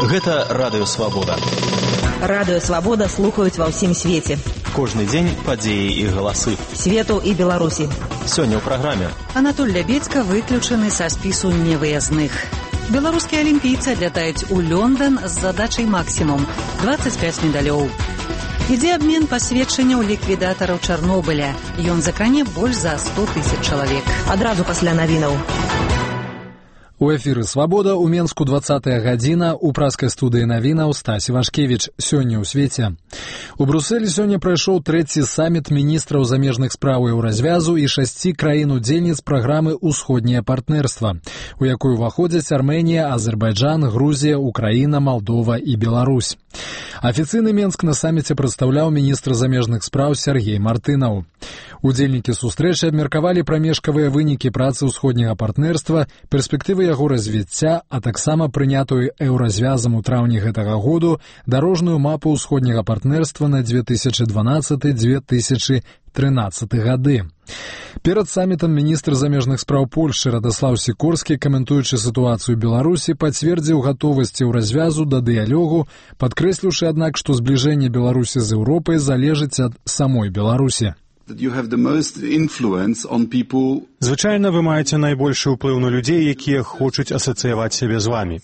Гэта Радыё Свабода. Радыё Свабода слухаюць ва ўсім свеце. Кожны дзень падзеі і галасы. Свету і Беларусі. Сёння ў праграме. Анатоль Лябедзька выключаны са спісу невыязных. Беларускія алімпійцы адлятаюць у Лондон з задачай максімум 25 медалёў. Ідзе абмен пасведчанняў ліквідатараў Чарнобыля. Ён закране больш за 100 000 чалавек. Адразу пасля навінаў. У эфіры «Свабода» у Менску 20-я гадзіна, у праскай студыі навінаў Стась Івашкевіч. Сёння ў свеце. У Брусэлі сёння прайшоў трэці саміт міністраў замежных спраў і развязу і 6 краін-удзельніц праграмы «Усходняе партнерства», у якую ўваходзяць Арменія, Азербайджан, Грузія, Украіна, Малдова і Беларусь. Афіцыйны Менск на саміце прадстаўляў міністр замежных спраў Сергей Мартынаў. Удзельнікі сустрэчы абмеркавалі прамежкавыя вынікі працы ўсходняга партнерства, перспектывы яго развіцця, а таксама прынятую еўразвязам у траўні гэтага году дарожную мапу ўсходняга партнерства на 2012-2013 гады. Перад самітам міністр замежных спраў Польшчы Радаслаў Сікорскі, каментуючы сітуацыю Беларусі, пацвердзіў гатовасць еўразвязу да дыялогу, падкрэсліўшы, аднак, што збліжэнне Беларусі з Еўропай залежыць ад самой Беларусі. Звычайна вы маеце найбольшы ўплыў на людзей, якія хочуць асацыяваць сябе з вамі.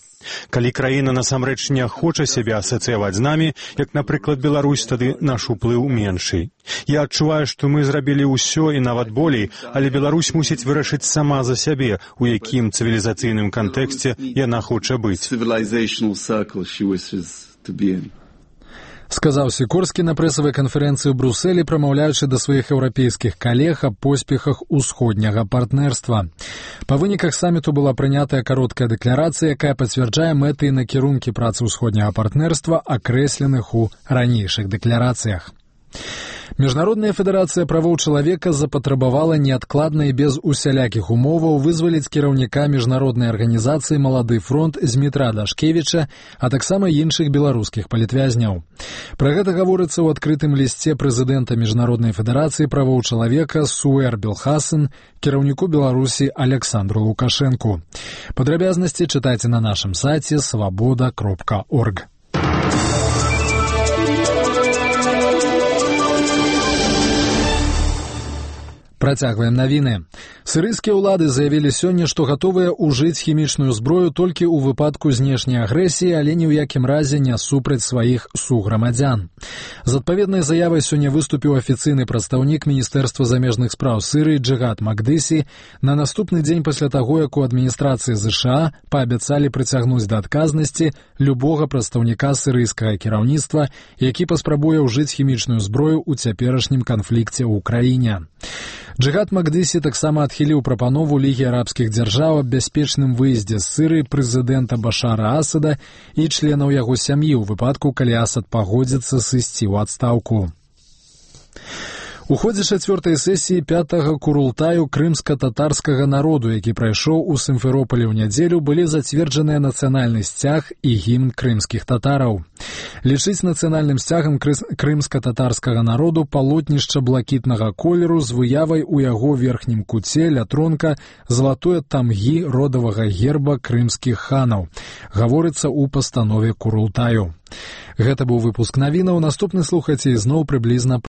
Калі краіна насамрэч не хоча сябе асацыяваць з намі, як, напрыклад, Беларусь, тады наш уплыў меншый. Я адчуваю, што мы зрабілі ўсё і нават болей, але Беларусь мусіць вырашыць сама за сябе, у якім цывілізацыйным кантэксце яна хоча быць. Сказаў Сікорскі на прэсавай канферэнцыі ў Брусэлі, прамаўляючы да сваіх еўрапейскіх калег аб поспехах усходняга партнерства. Па выніках саміту была прынятая кароткая дэкларацыя, якая пацвярджае мэты і накірункі працы ўсходняга партнерства, акрэсленых у ранейшых дэкларацыях. Міжнародная федэрацыя правоў чалавека запатрабавала неадкладна і без усялякіх умоваў вызваліць кіраўніка міжнароднай арганізацыі «Малады фронт» Змітра Дашкевіча, а таксама іншых беларускіх палітвязняў. Пра гэта гаворыцца ў адкрытым лісце прэзідэнта Міжнароднай федэрацыі правоў чалавека Суэр Белхасен кіраўніку Беларусі Александру Лукашэнку. Падрабязнасці чытайце на нашым сайце swaboda.org. Працягваем навіны. Сірыйскія ўлады заявілі сёння, што гатовыя ўжыць хімічную зброю толькі ў выпадку знешняй агрэсіі, але ні ў якім разе не супраць сваіх суграмадзян. З адпаведнай заявай сёння выступіў афіцыйны прадстаўнік Міністэрства замежных спраў Сірыі Джигат Макдыси на наступны дзень пасля таго, як у адміністрацыі ЗША паабяцалі прыцягнуць да адказнасці любога прадстаўніка сірыйскага кіраўніцтва, які паспрабуе ўжыць хімічную зброю ў цяперашнім канфлікце ў краіне. Джигат Макдыси таксама адхіліў прапанову Лігі арабскіх дзяржаў аб бяспечным выездзе з Сірыі прэзідэнта Башара Асада і членаў яго сям'і ў выпадку, калі Асад пагодзіцца сысці ў адстаўку. У ходзе 4-й сесіі 5-го курултаю крымска-татарскага народу, які прайшоў у Сімферополі ў нядзелю, былі зацверджаныя нацыянальны сцяг і гімн крымскіх татараў. Лічыць нацыянальным сцягам крымска-татарскага народу палотнішча блакітнага колеру з выявай у яго верхнім куце ля тронка залатое тамгі родавага герба крымскіх ханаў. Гаворыцца ў пастанове курултаю. Гэта быў выпуск навінаў. Наступны слухайце ізноў прыблізна